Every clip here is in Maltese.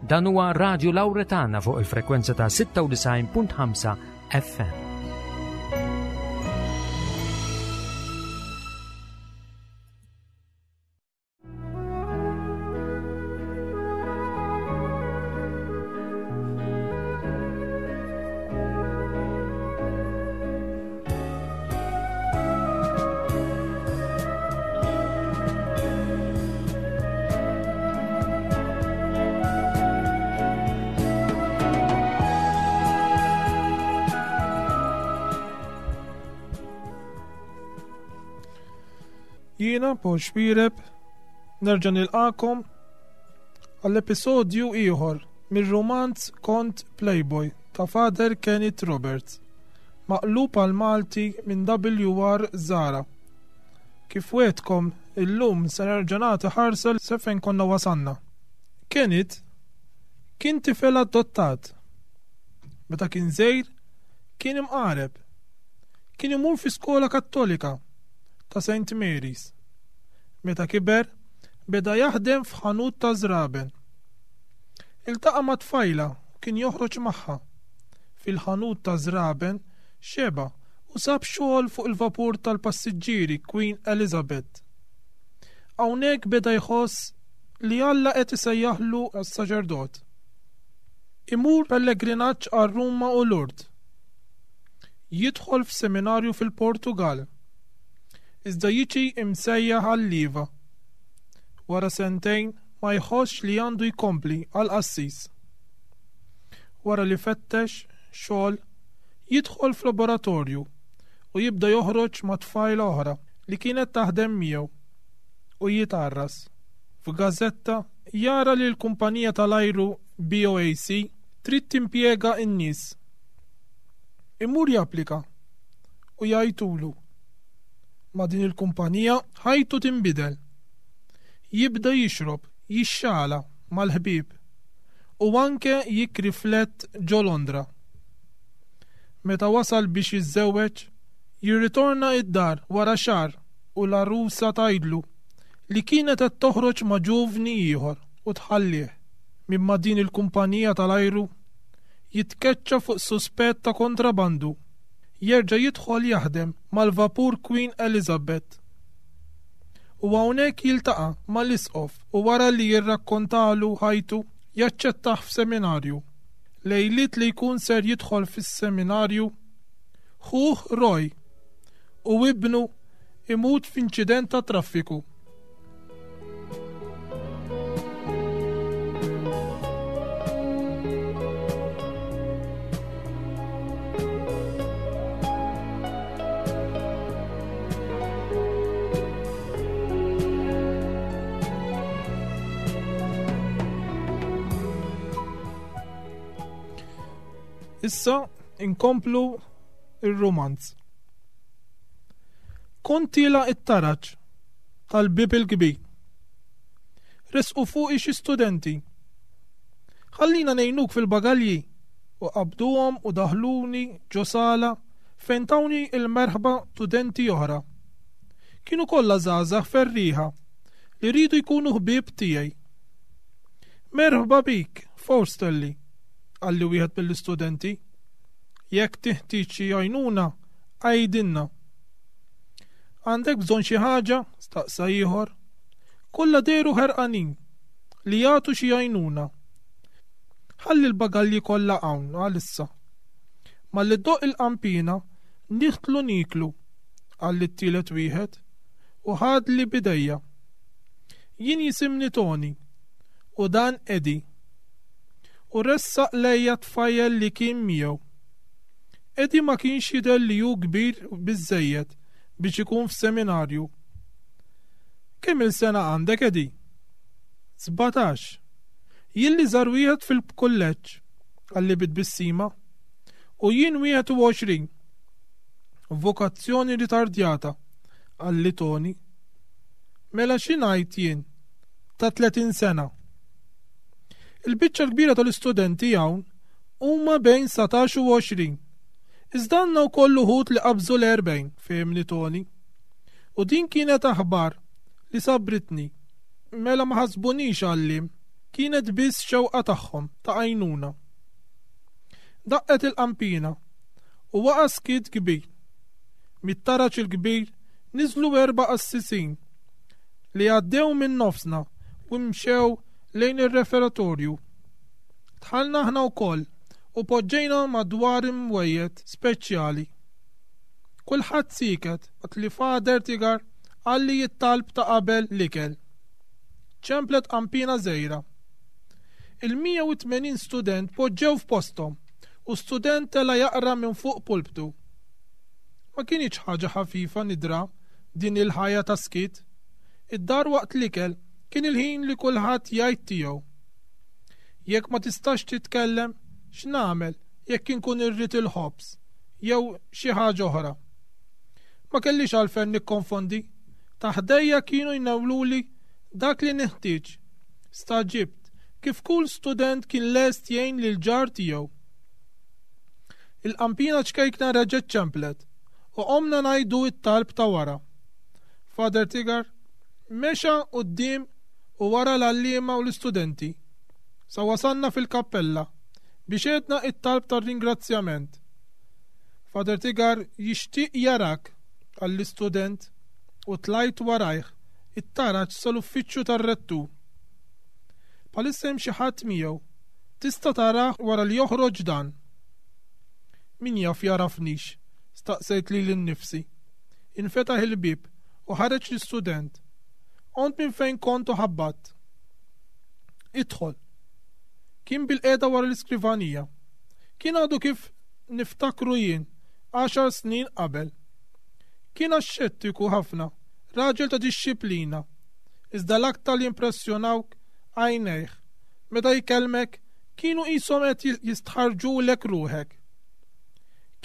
Dan huwa Radio Lauretana fuq il-frekwenza ta' 96.5 FM. Jiena Paul Xpireb nerġa' nilqakom għall-episodju ieħor mir-rumanz Kont Playboy ta' Father Kenneth Roberts, maqlub għal Malti minn WR Zara. Kif wegħdtkom, illum se nerġa' nagħti ħarsa sa fejn konna wasalna. Kenneth kien tifel adottat. Meta kien żgħir, kien imqareb. Kien imur fi skola Kattolika ta' St. Mary's. Meta kiber, beda jaħdem f'ħanut ta' żraben. Iltaqa' ma' tfajla u kien joħroġ magħha. Fil-ħanut taż-żraben xeba' u sab xogħol fuq il-vapur tal-passiġġieri Queen Elizabeth. Hawnhekk beda jħoss li Alla qed isejjaħlu għas-saċerdot. Imur pellegrinaġġ għal Ruma u Lourdes. Jidħol f'seminarju fil-Portugall. Iżda jiġi imsejjaħ għal-lieva. Wara sentejn ma jħossx li għandu jkompli għal qassis. Wara li fettex xogħol, jidħol f'laboratorju u jibda joħroġ ma' tfajla oħra li kienet taħdem miegħu u jitgħarras. F'gażetta jara li l-kumpanija tal-ajru BOAC trid timpjega n-nies. Imur japplika u jgħajtulu. Ma' din il-kumpanija ħajtu tinbidel. Jibda jixrob, jixxala mal-ħbieb u anke jikri flett ġo Londra. Meta wasal biex jiżżewweġ, jirritorna id-dar wara xahar u l-għarusa tgħidlu li kienet qed toħroġ ma' ġuvni ieħor u tħallih. Minn ma' din il-kumpanija tal-ajru, jitkeċċa fuq suspett ta' kontrabandu. Jerġa' jidħol jaħdem mal-vapur Queen Elizabeth. U hawnhekk jiltaqa' mal-Isqof u wara li jirrakkontalu ħajtu, jaċċettah f'seminarju. Lejliet li jkun ser jidħol fis-seminarju, ħuh Roy u ibnu imut f'inċident tat-traffiku. Issa inkomplu ir-rumanz. Kont tiela' it-taraġ tal-bieb il-kbir. Resqu fuqi xi studenti. Ħallina ngħinuk fil-bagalji u qabduhom u daħluni ġo sala fejn tawni l-merħba studenti oħra. Kienu kollha żgħażagħ ferrieħa li riedu jkunu ħbieb tiegħi. Merħba bik, Forstelli, qalli wieħed mill-istudenti. Jekk tiħtieġ xi għajnuna, għidilna. Għandek bżonn xi ħaġa? staqsa ieħor. Kollha dehru ħerqanin li jagħtu xi għajnuna. Ħalli l-bagalji kollha hawn għalissa. Malli ddoqq il-qanpiena, nidħlu nieklu, qalli t-tielet wieħed, u ħadli b'idejja. Jien jisimni Tony, u dan Eddie. U ressaq lejja t-tfajjel li kien miegħu. Eddie ma kienx jidher li hu kbir biżżejjed biex ikun f'seminarju. Kemm-il sena għandek, Eddie? 17. Jien l-iżgħar wieħed fil-kulleġġ, qalli bi tbissima. U jien 21. Vokazzjoni ritardjata, qalli Tony. Mela xi ngħid jien ta' 30 sena. Il-biċċa l-kbira tal-istudenti hawn huma bejn 19 u 20. Iżda għandna wkoll uħud li qabżu l-40, fehimni Tony. U din kienet aħbar li sabbritni. Mela ma ħasbunix għalliem. Kienet biss xewqa tagħhom ta' għajnuna. Daqqet il-qampina u waqa' skiet kbir. Mit-taraġ il-kbir niżlu erba' qassisin li għaddew minn nofsna u mxew lejn ir-referatorju. Dħalna aħna wkoll u poġġejna madwar imwejjed speċjali. Kulħadd sieket waqt li Father Tigar qalli t-talb ta' qabel l-ikel. Ċemplet qanpiena żgħira. Il-180 student poġġew f'posthom u student tela' jaqra minn fuq pulptu. Ma kinitx ħaġa ħafifa nidra din il-ħajja ta' skiet. Id-dar waqt l-ikel kien il-ħin li kulħadd jgħid tiegħu. Jekk ma tistax titkellem, x'nagħmel jekk inkun irrid il-ħobż jew xi ħaġa oħra? Ma kellix għalfejn nikkonfondi. Ta' ħdejja kienu jnewluli dak li neħtieġ. Stagħġibt kif kull student kien lest jgħin lill-ġar tiegħu. Il-qampina ċkejkna reġgħet ċemplet u qomna ngħidu t-talb ta' wara. Father Tigar mexa quddiem u wara l-għalliema u l-istudenti sa wasalna fil-kappella biex għedna t-talb tar-ringrazzjament. Father Tigar jixtieq jarak, qal l-istudent u tlajt warajh it-taraġ sal-uffiċċju tar-rettur. Bħalissa hemm xi ħadd miegħu. Tista' tarah wara li joħroġ dan. Min jaf jagħrafnix? staqsejt lili nnifsi. Infetaħ il-bieb u ħareġ l-istudent. Qomt minn fejn kont u ħabbatt. Idħol. Kien bilqiegħda wara l-iskrivanija. Kien għadu kif niftakru jien għaxar snin qabel. Kien axxettiku ħafna, raġel ta' dixxiplina. Iżda l-aktar li jimpressjonawk għajnejh. Meta jkellmek, kienu qishom qed jistħarrġulek ruħek.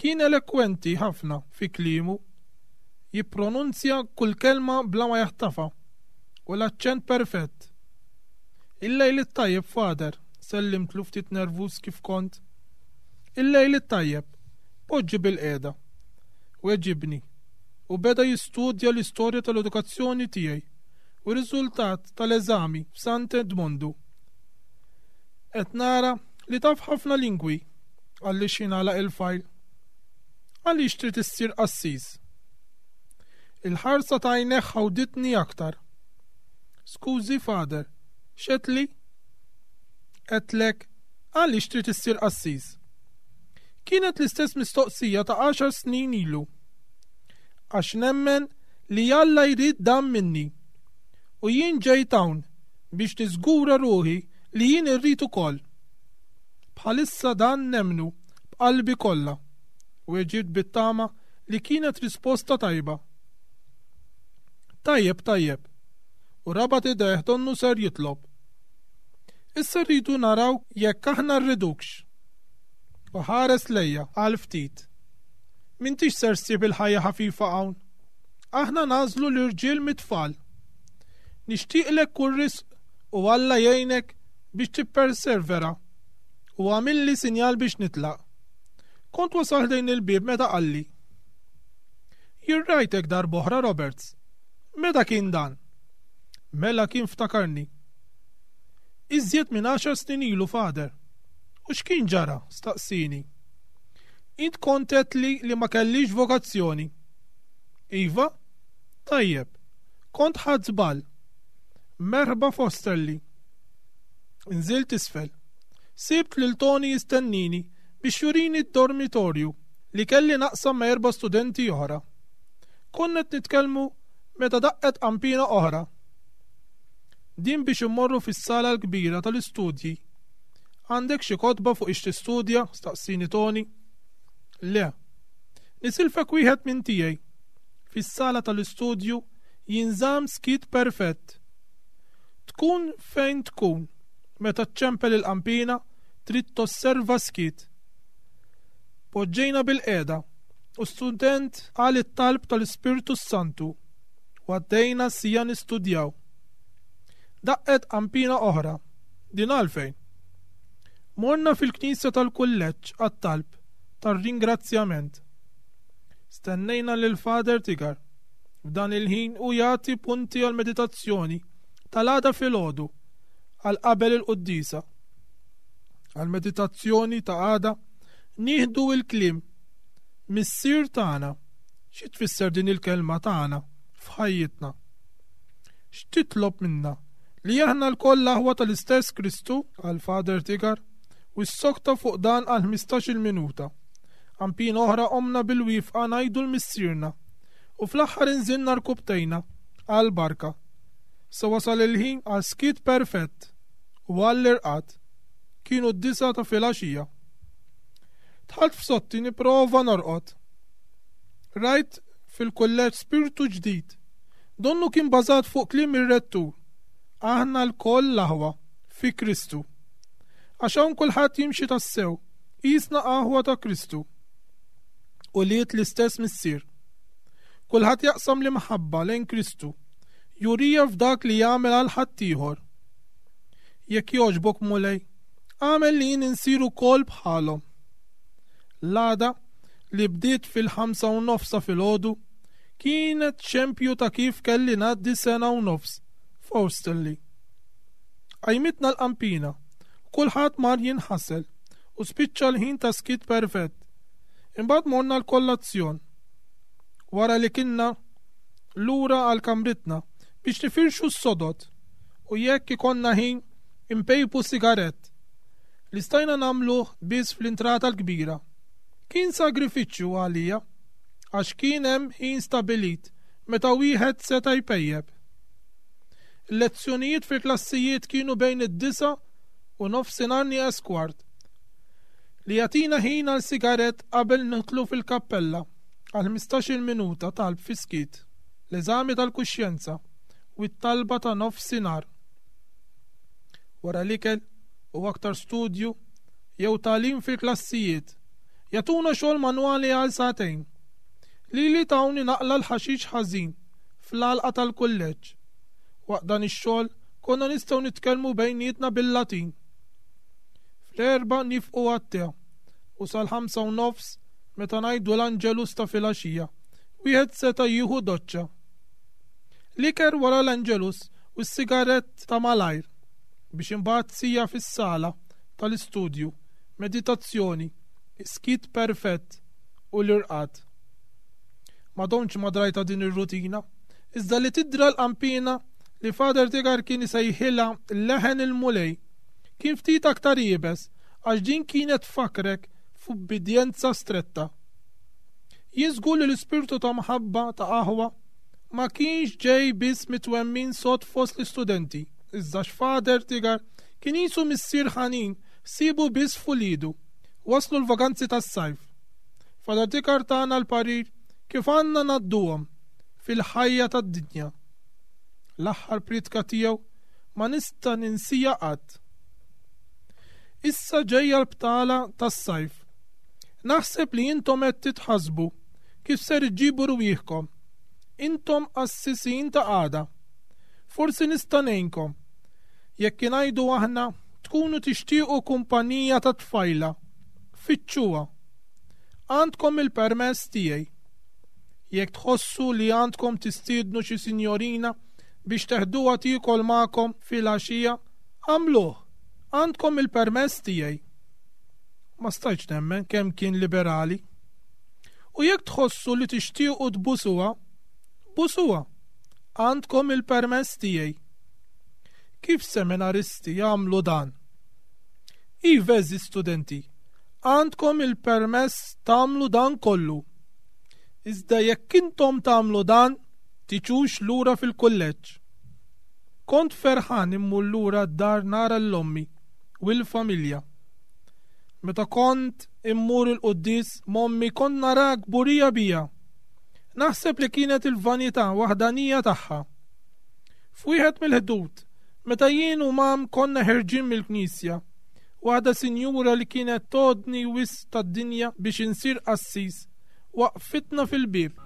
Kien elekwenti ħafna fi kliemu, jippronunzja kull kelma bla ma jaħtafha, u l-aċċent perfett. Il-lejl it-tajjeb, Father, sellimtlu ftit nervuż kif kont. Il-lejl it-tajjeb, poġġi bilqiegħda. Weġibni, u beda jistudja l-istorja tal-edukazzjoni tiegħi u r-riżultat tal-eżami f'Sant Edmondu. Qed nara li taf ħafna lingwi, qalli x'ħin għalaq il-fajl. Għaliex trid issir qassis? Il-ħarsa ta' għajnejh ħawditni aktar. Skużi, Father, x'għedtli? Għedtlek, għaliex trid issir qassis? Kienet l-istess mistoqsija ta' għaxar snin ilu. Għax nemmen li Alla jrid dan minni. U jien ġejt hawn biex niżgura ruħi li jien irrid ukoll. Bħalissa dan nemmnu b'qalbi kollha, weġibt bit-tama li kienet risposta tajba. Tajjeb, tajjeb. U rabat idejh donnu ser jitlob. Issa rridu naraw jekk aħna rridukx. U ħares lejja għal ftit. M'intix ser ssib il-ħajja ħafifa hawn. Aħna nagħżlu l-irġiel mit-tfal. Nixtieqlek kull risq u Alla jgħinek biex tippersevera. U għamilli sinjal biex nitlaq. Kont wasal ħdejn il-bieb meta qalli. Jien rajtek darb'oħra, Roberts. Meta kien dan? Mela kien ftakarni. Iżjed minn għaxar snin ilu, Father. U x'kien ġara? staqsieni. Int kont għedtli li ma kellix vokazzjoni. Iva? Tajjeb. Kont ħadt żball. Merħba Fosterly. Inżilt isfel. Sibt lil Tony jistennini biex jurini d-dormitorju li kelli naqsam ma' erba' studenti oħra. Konna qed nitkellmu meta daqqet qanpiena oħra. Din biex immorru fis-sala l-kbira tal-istudji. Għandek xi kotba fuq ix tistudja? staqsini Tony. Le. Nisilfek wieħed minn tiegħi. Fis-sala tal-istudju jinżamm skiet perfett. Tkun fejn tkun, meta ċċempel il-qanpiena trid tosserva s-skiet. Poġġejna bilqiegħda u student qal it-talb tal-Ispirtu s-Santu u għaddejna siegħa nistudjaw. Daqqet qanpiena oħra. Din għalfejn? Morna fil-knisja tal-kulleġġ għat-talb tar-ringrazzjament. Stennejna lil Father Tigar. F'dan il-ħin hu jagħti punti għall-meditazzjoni tal-għada filgħodu. għal qabel il-quddiesa. Għall-meditazzjoni ta' għada nieħdu l-kliem Missier tagħna. Xi tfisser din il-kelma tagħna f'ħajjitna? X'titlob minna? Li aħna lkoll l-aħwa tal-istess Kristu, qal Father Tigar, u ssokta fuq dan għal ħmistax-il minuta. Qampina oħra qomna bil-wifqa ngħidu l-Missierna, u fl-aħħar inżilna rkubtejna għall-barka. Sa wasal il-ħin għal skiet perfett u għall-irqad. Kienu d-disgħa ta' filgħaxija. Dħalt f'sotti nipprova norqod. Rajt fil-kulleġġ spirtu ġdid. Donnu kien bażat fuq kliem ir-rettur. Aħna lkoll l-aħwa fi Kristu. Għax hawn kulħadd jimxi tassew, qisna aħwa ta' Kristu. Ulied l-istess Missier. Kulħadd jaqsam l-imħabba lejn Kristu, jurija f'dak li jagħmel għal ħaddieħor. Jekk jogħġbok Mulej, agħmel li jien insir ukoll bħalhom. L-għada, li bdiet fil-ħamsa u nofs ta' filgħodu, kienet xempju ta' kif kelli ngħaddi sena u nofs f'Osterley. Qajmitna l-qampina, u kulħadd mar jinħasel u spiċċa l-ħin ta' skiet perfett. Imbagħad morna l-kollazzjon. Wara li kinna lura għal kamritna biex nifirxu s-sodod u jekk ikollna ħin inpejpu sigarett, li stajna nagħmluh biss fl-intrata l-kbira. Kien sagrifiċċju għalija għax kien hemm ħin stabilit meta wieħed seta' jpejjep. Il-lezzjonijiet fil-klassijiet kienu bejn id-disgħa u nofsinhar nieqes kwart, li jagħtina ħin għal sigarett qabel nidħlu fil-kappella għal ħmistax-il minuta talb fis-skiet, l-eżami tal-kuxjenza u t-talba ta' nofsinhar. Wara l-ikel u aktar studju jew tagħlim fil-klassijiet, jagħtuna xogħol manwali għal sagħtejn. Lili tawni naqla' l-ħaxix ħażin fl-għalqa tal-kulleġġ. Waqt dan ix-xogħol konna nistgħu nitkellmu bejnietna bil-Latin. Fl-erbgħa nifqu għat-te u sal-ħamsa u nofs meta ngħidu l-Angelus ta' filgħaxija, wieħed seta' jieħu doċċa. L-ikel wara l-Angelus u s-sigarett ta' malajr biex imbagħad siegħa fis-sala tal-istudju, meditazzjoni, is-skiet perfett u l-irqad. Ma domtx ma drajtha din ir-rutina, iżda li tidra l-qanpiena li Father Tigar kien isejħilha leħen il-Mulej, kien ftit aktar iebes għax din kienet tfakkrek f'ubbidjenza stretta. Jien żgur li l-ispirtu ta' mħabba ta' aħwa ma kienx ġej biss mit-twemmin sod fost l-istudenti, iżda għax Father Tigar kien qisu missier ħanin ħsiebu biss f'uliedu. Waslu l-vaganzi tas-sajf. Father Tigar tana l-parir kif għandna ngħadduhom fil-ħajja tad-dinja. L-aħħar prietka tiegħu ma nista' ninsija qatt. Issa ġejja l-btala tas-sajf. Naħseb li intom qed titħassbu kif ser iġġibu rwieħkom. Intom qassisin ta' għada. Forsi nista' ngħinkom. Jekk ingħidu aħna tkunu tixtiequ kumpanija ta' tfajla, fittxuha. Għandkom il-permess tiegħi. Jekk tħossu li għandkom tistiednu xi sinjorina biex teħduha tiekol magħkom filgħaxija, agħmluh. Għandkom il-permess tiegħi. Ma stajtx nemmen kemm kien liberali. U jekk tħossu li tixtiequ tbusuha, busuha. Għandkom il-permess tiegħi. Kif seminaristi jagħmlu dan? Iva, għeżież studenti, għandkom il-permess tagħmlu dan kollu. Iżda jekk intom tagħmlu dan, tiġux lura fil-kulleġġ. Kont ferħan immur lura d-dar nara 'l ommi u l-familja. Meta kont immur il-quddies m'ommi kont naraha kburija bija. Naħseb li kienet il-vanità waħdanija tagħha. F'wieħed mill-ħdud, meta jien u mam konna ħerġin mill-knisja, waħda sinjura li kienet tgħoddni wisq tad-dinja biex insir qassis, waqqfitna fil-bieb.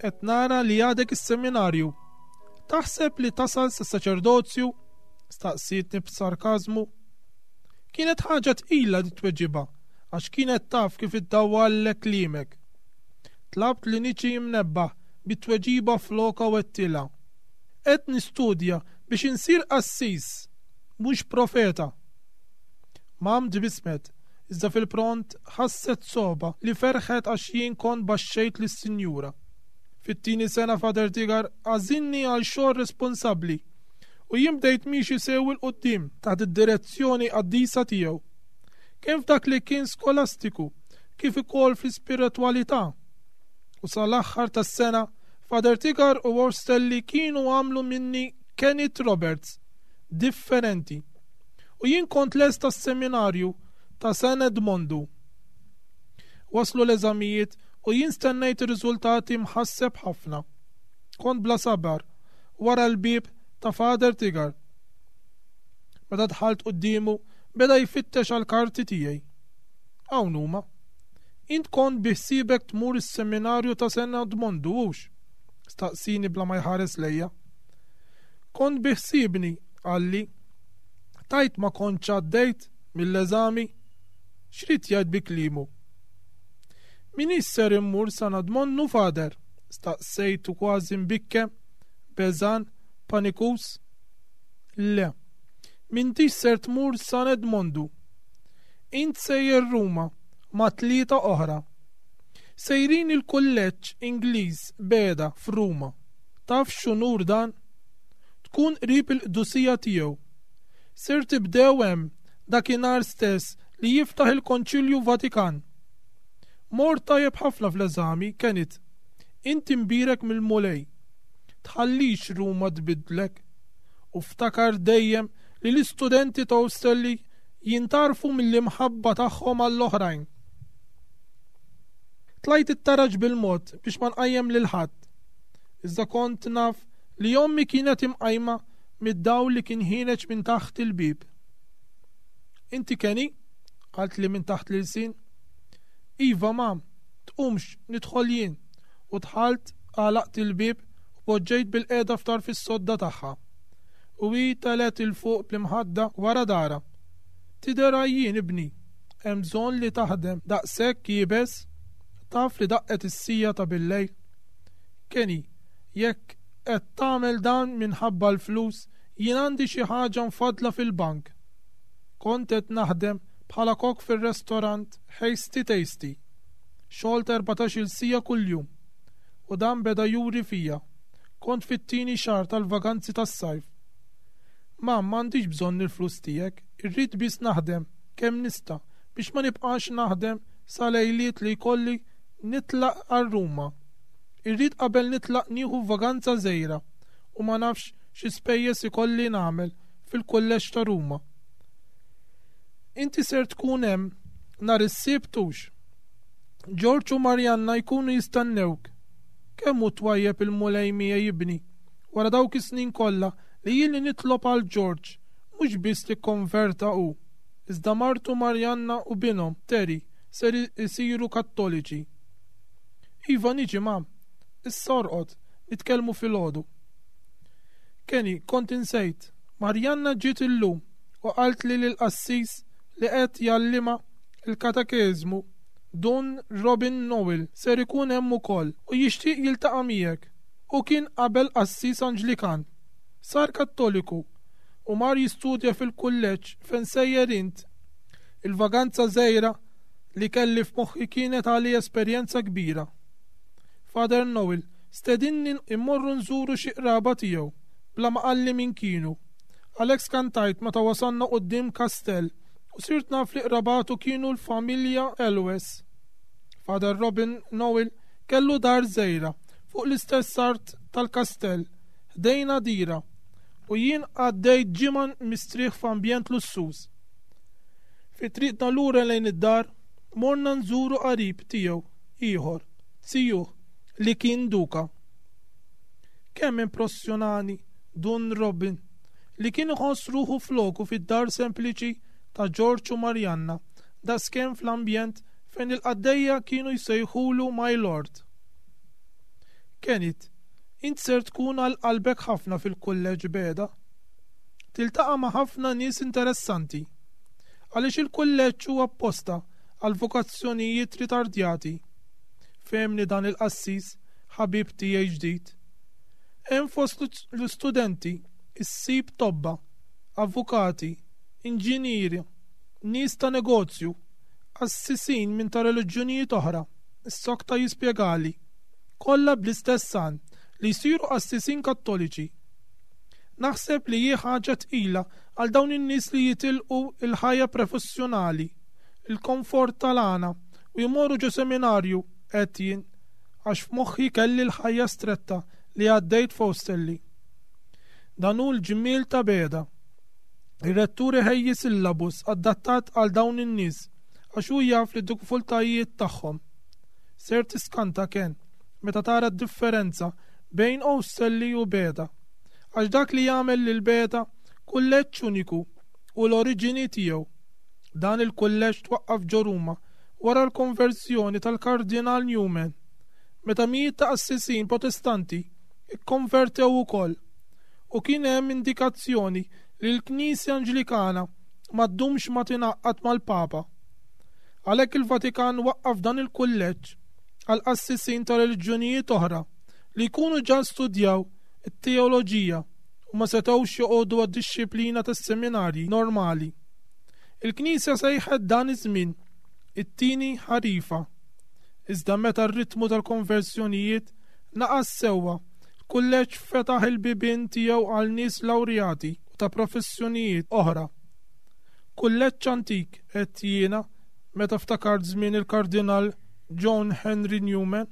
Qed nara li għadek is-seminarju. Taħseb li tasal sas-saċerdozju? Staqsietni b'sarkażmu. Kienet ħaġa tqila di tweġiba għax kienet taf kif iddawwallek kliemek. Tlabt li niġi mnebbaħ bit-tweġiba flokha u għedtilha, Qed nistudja biex insir qassis, mhux profeta. Mam tbissmet, iżda fil-pront ħasset sogħba li ferħet għax jien kont baxxejt lis-Sinjura. Fit-tieni sena Father Tigar għażilni għal xogħol responsabbli u jien bdejt miexi sew 'il quddiem taħt id-direzzjoni qaddisa tiegħu. Kemm f'dak li kien skolastiku kif ukoll fl-ispiritwalità. U sal-aħħar tas-sena, Father Tigar u Orstelli kienu għamlu minni Kenneth Roberts, differenti. U jien kont lest għas-seminarju ta' San Edmondu. Waslu l-eżamijiet u jien stennejt ir-riżultati mħasseb ħafna. Kont bla sabar wara l-bieb ta' Father Tigar. Meta dħalt quddiemu, beda jfittex għall-karti tiegħi. Hawn huma. Int kont bi ħsiebek tmur is-seminarju ta' San Edmondu, hux? Staqsini bla ma jħares lejja. Kont bi ħsiebni, qalli. Tgħid ma kontx għaddejt mill-eżami? X'ried jgħid bi kliemu? M'iniex ser immur San Edmondu, Father? Staqsejtu kważi mbikkem, beżgħan, panikuż. Le. M'intix ser tmur San Edmondu. Int sejjer Ruma ma' tlieta oħra. Sejrin il-kulleġġ Ingliż Beda f'Ruma. Taf x'unur dan? Tkun qrib il-Qdusija Tiegħu. Ser tibdew hemm dakinhar stess li jiftaħ il-Konċilju Vatikan. Mort tajjeb ħafna fl-eżami, Kenneth. Int imbierek mill-Mulej. Tħallix Ruma tbiddlek. U ftakar dejjem li l-istudenti ta' Ostelli jintgħarfu mill-imħabba tagħhom għall-oħrajn. Tlajt it-taraġ bil-mod biex ma nqajjem lil ħadd. Iżda kont naf li ommi kienet imqajma mid-dawl li kien ħiereġ minn taħt il-bieb. Inti Kenny? qaltli minn taħt l-ilsien. Iva, mam, tqumx, nidħol jien. U dħalt, għalaqt il-bieb u poġġejt bilqiegħda f'tarf is-sodda tagħha. U hi telgħet 'il fuq bl-imħadda wara darha. Tidher għajjien, ibni. Hemm bżonn li taħdem daqshekk iebes? Taf li daqqet is-siegħa ta' billejl? Kenny, jekk qed tagħmel dan minħabba l-flus, jien għandi xi ħaġa mfaddla fil-bank. Kont qed naħdem bħala kok fir-restorant Hasty Tasty. Xogħol ta' 14-il siegħa kuljum. U dan beda juri fija. Kont fit-tieni xahar tal-vaganzi tas-sajf. Mam, m'għandix bżonn il-flus tiegħek, irrid biss naħdem kemm nista' biex ma nibqax naħdem sa lejliet li jkolli nitlaq għal Ruma. Irrid qabel nitlaq nieħu vaganza żgħira u ma nafx xi spejjeż ikolli nagħmel fil-kulleġġ ta' Ruma. Inti ser tkun hemm nhar is-Sibt hux? Ġorġ u Marianna jkunu jistennewk. Kemm hu twajjeb il-Mulej miegħi ibni, wara dawk is-snin kollha li ili nitlob għal Ġorġ, mhux biss li kkonverta hu, iżda martu Marianna u binhom, Terry, ser isiru Kattoliċi. Iva niġi ma. Issa orqod, nitkellmu filgħodu. Kenny, kont insejt, Marianna ġiet illum u qaltli li l-qassis li qed jgħallimha l-katekeżmu, Dun Robin Noel, ser ikun hemm ukoll u jixtieq jiltaqa' miegħek. Hu kien qabel qassis Anġlikan. Sar Kattoliku u mar jistudja fil-kulleġġ fejn sejjer int. Il-vaganza żgħira li kelli f'moħħi kienet għalija esperjenza kbira. Father Noel stedinni mmorru nżuru xi qraba tiegħu bla ma qalli min kienu. Għalhekk skantajt meta wasalna quddiem kastell u sirt naf li qrabatu kienu l-familja Elwes. Father Robin Noel kellu dar żgħira fuq l-istess art tal-kastell, ħdejn għadira, u jien għaddejt ġimgħa mistrieħ f'ambjent lussuż. Fi triqtna lura lejn id-dar, morna nżuru qarib tiegħu ieħor, zijuh, li kien duka. Kemm impressjonani Dun Robin, li kien iħoss ruħu floku fid-dar sempliċi. ta' Ġorġ u Marianna daqskemm fl-ambjent fejn il-qaddejja kienu jsejħulu My Lord. Kenneth, int ser tkun għal qalbek ħafna fil-kulleġġ Beda. Tiltaqa' ma' ħafna nies interessanti. Għaliex il-kulleġġ huwa apposta għal vokazzjonijiet ritardjati. Fehemni dan il-qassis, ħabib tiegħi ġdid. Hemm fost l-istudenti issib tobba, avukati, inġinieri, nies ta' negozju, qassisin minn ta' reliġjonijiet oħra, issokta jispjegali. Kollha bl-istess għan, li jsiru qassisin Kattoliċi. Naħseb li hi ħaġa tqila għal dawn in-nies li jitilqu l-ħajja prefessjonali, il-komfort tal-għana u jmorru ġo seminarju, għedt jien, għax f'moħħi kelli l-ħajja stretta li għaddejt f'Osterley. Dan hu l-ġmiel ta' Beda. Ir-rettur iħejji syllabus adattat għal dawn in-nies għax hu jaf lid-diffikultajiet tagħhom. Ser tiskanta, Ken, meta tara d-differenza bejn Osterley u Beda. Għax dak li jagħmel lil Beda kulleġġ uniku hu l-oriġini tiegħu. Dan il-kulleġġ twaqqaf ġo Ruma wara l-konverżjoni tal-Kardinal Newman, meta mijiet ta' qassisin Protestanti kkonvertew ukoll, u kien hemm indikazzjoni li l-Knisja Anġlikana ma ddumx ma tingħaqad mal-Papa. Għalhekk il-Vatikan waqqaf dan il-kulleġġ għal qassisin ta' reliġjonijiet oħra li jkunu ġa studjaw it-teoloġija u ma setgħux joqogħdu għad-dixxiplina tas-seminarji normali. Il-Knisja sejħet dan iż-żmien it-tieni ħarifa. Iżda meta r-ritmu tal-konversjonijiet naqas sewwa, l-kulleġġ fetaħ il-bibien tiegħu għal nies lawrjati u ta' professjonijiet oħra. Kulleġġ antik, għedt jiena meta ftakart żmien il-Kardinal John Henry Newman.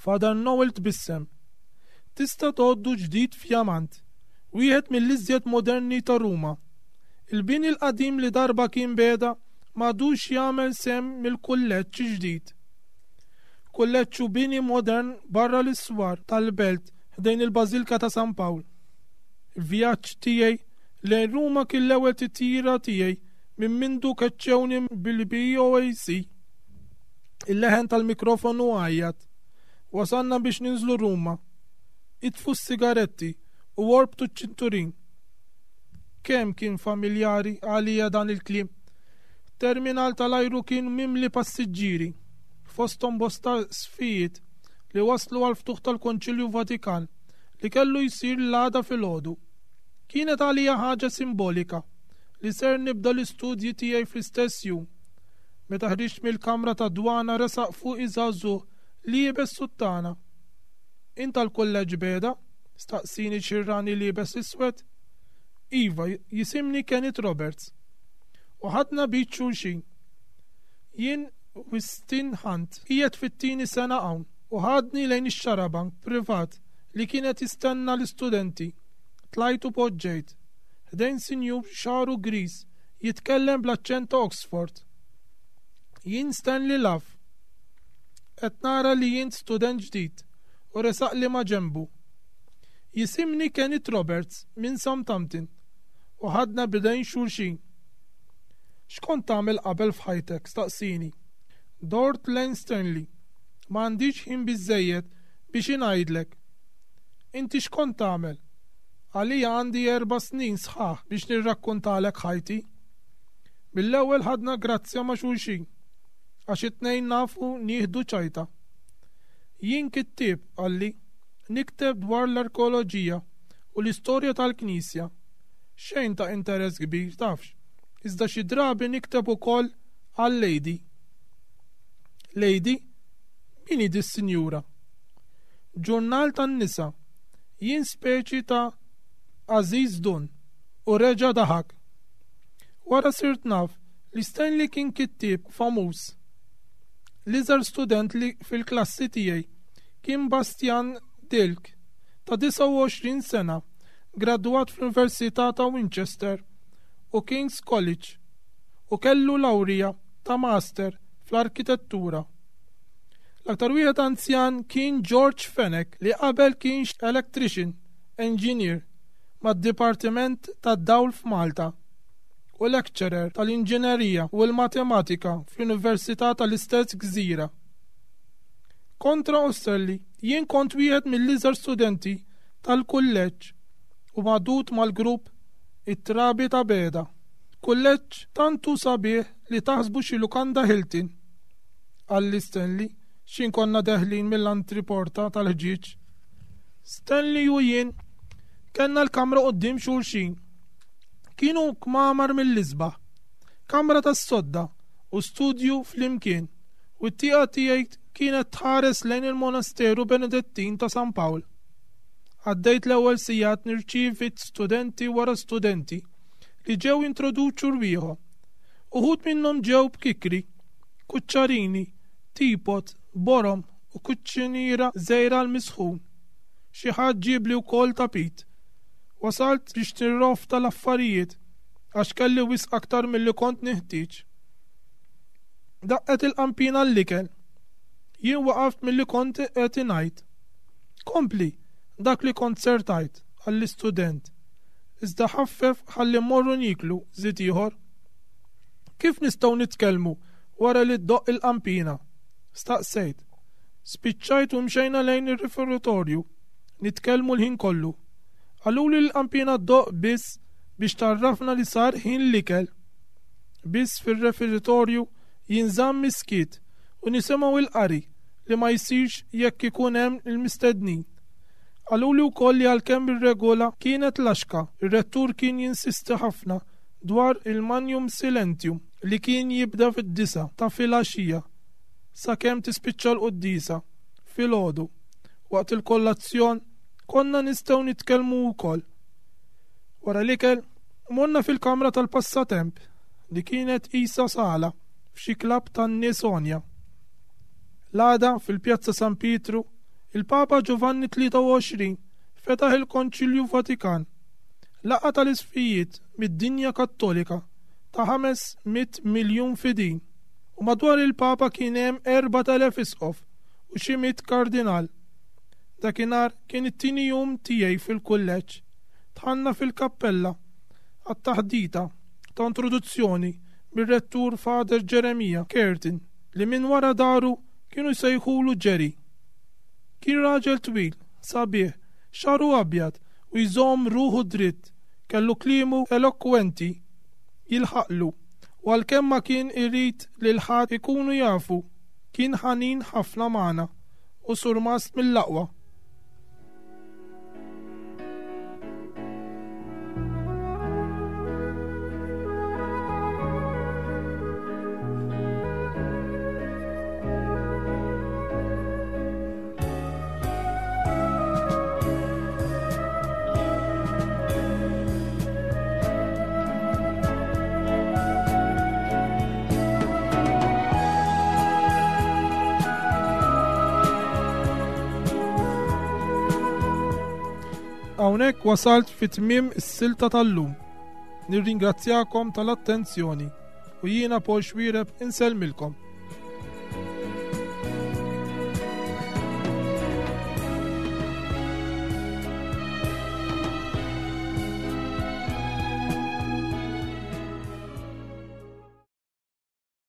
Father Noel tbissem. Tista' tgħoddu ġdid fjamant, wieħed mill-iżjed moderni ta' Ruma. Il-bini l-qadim li darba kien Beda m'għadux jagħmel sehem mill-kulleġġ ġdid. Kulleġġ hu bini modern barra l-iswar tal-belt ħdejn il-Bażilka ta' San Pawl. Il-vjaġġ tiegħi lejn Ruma kien l-ewwel titjira tiegħi minn mindu keċċewni bil-BOAC. Il-leħen tal-mikrofonu għajjat. Wasalna biex ninżlu Ruma. Itfu s-sigaretti u orbtu ċ-ċinturin. Kemm kien familjari għalija dan il-kliem. Terminal tal-ajru kien mimli passiġġieri, fosthom bosta sfijiet li waslu għall-ftuħ tal-Konċilju Vatikan li kellu jsir l-għada filgħodu. Kienet għalija ħaġa simbolika li ser nibda l-istudji tiegħi fl-istess jum. Meta ħriġt mill-kamra tad-dwana resaq fuqi żagħżugħ liebes suttana. Int tal-Kulleġġ Beda? staqsini ċirrani liebes iswed. Iva, jisimni Kenneth Roberts. U ħadna b'id xulxin. Jien Wistin Hunt, qiegħed fit-tieni sena hawn u ħadni lejn ix-xarabank privat li kien qed jistenna l-istudenti. Tlajt u poġġejt. Ħdejn sinjur xagħru griż jitkellem bl-aċċent ta' Oxford. Jien Stanley Love. Qed nara li int student ġdid u resaqli maġenbu. Jisimni Kenneth Roberts minn Southampton u ħadna b'idejn xulxin. X'kont tagħmel qabel f'ħajtek? staqsieni. Dort lejn Stanley. M'għandix ħin biżżejjed biex ingħidlek. Inti x'kont tagħmel? Għalija għandi erba' snin sħaħ biex nirrakkontalek ħajti. Mill-ewwel ħadna grazzja ma' xulxin, għax it-tnejn nafu nieħdu ċajta. Jien kittieb, qalli. Nikteb dwar l-arkeoloġija u l-istorja tal-Knisja. Xejn ta' interess kbir, tafx, iżda xi drabi nikteb ukoll għal Lady. Lady? Min hi dis-sinjura? Ġurnal tan-nisa. Jien speċi ta' Aziz Dun. U reġa' daħak. Wara sirt naf li Stanley kien kittieb famuż. L-iżgħar student li fil-klassi tiegħi kien Bastian Dilk, ta' 29 sena, gradwat fl-Università ta' Winchester u King's College u kellu lawrija ta' Master fl-Arkitettura. L-aktar wieħed anzjan kien George Fenech li qabel kien electrician engineer mad-Dipartiment tad-Dawl f'Malta. u lecturer tal-inġinerija u l-matematika fl-Università tal-istess gżira. Kontra Osterli, jien kont wieħed mill-iżgħar studenti tal-kulleġġ u magħdud mal-grupp it-Trabi ta' Beda. Kulleġġ tant hu sabiħ li taħsbu xi lukanda Hilton. Qalli Stanley x'in konna deħlin mill-antriporta tal-ħġieġ. Stanley u jien kellna l-kamra quddiem xulxin. Kienu kmamar mill-isbaħ. Kamra tas-sodda u studju flimkien u t-tieqa tiegħi kienet tħares lejn il-Monasteru Benedettin ta' San Pawl. Għaddejt l-ewwel sigħat nirċievi studenti wara studenti li ġew jintroduċu rwieħhom. Uħud minnhom ġew b'kikri, kuċċarini, teapot, borom u kuċċiniera żgħira għall-misħun. Xi ħadd ġiebli wkoll tapit. Wasalt biex nirrofta l-affarijiet għax kelli wisq aktar milli kont neħtieġ. Daqqet il-qanpiena għall-ikel. Jien waqaft milli kont qed ingħid. Kompli, dak li kont ser tgħid, qalli student. Iżda ħaffef ħalli mmorru nieklu, żied ieħor. Kif nistgħu nitkellmu wara li ddoqq il-qanpiena? Staqsejt. Spiċċajt u mxejna lejn ir-riferitorju, nitkellmu l-ħin kollu. Qaluli li l-qanpiena ddoqq biss biex tgħarrafna li sar ħin l-ikel. Biss fir-referitorju jinżamm is-skiet u nisimgħu l-qari li ma jsirx jekk ikun hemm il-mistednin. Qaluli wkoll li għalkemm ir-regola kienet laxka, ir-rettur kien jinsisti ħafna dwar il-magnum silentium li kien jibda fid-disgħa ta' filgħaxija sakemm tispiċċa l-quddiesa filgħodu. Waqt il-kollazzjon konna nistgħu nitkellmu wkoll. Wara l-ikel, morna fil-kamra tal-passatemp li kienet qisha sala f'xi klabb tan-nies għonja. L-għada fil-Pjazza San Pietru, il-Papa Giovanni 23 fetaħ il-Konċilju Vatikan, laqgħa tal-isqfijiet mid-dinja Kattolika ta' 500 miljun fidil, u madwar il-Papa kien hemm 4,000 isqof u xi mitt kardinal. Dakinhar kien it-tieni jum tiegħi fil-kulleġġ. Dħalna fil-kappella għat-taħdita ta' introduzzjoni mir-rettur Father Jeremiah Curtin li minn wara daru kienu jsejħulu Jerry. Kien raġel twil, sabiħ, xagħru abjad u jżomm ruħu dritt, kellu kliemu elokwenti jilħaqlu u għalkemm ma kien irid lil ħadd ikunu jafu, kien ħanin ħafna magħna u surmast mill-aqwa. Hawnhekk wasalt fi tmiem is-silta tal-lum. Nirringrazzjakom tal-attenzjoni u jiena Paul Xwireb insellmilkom.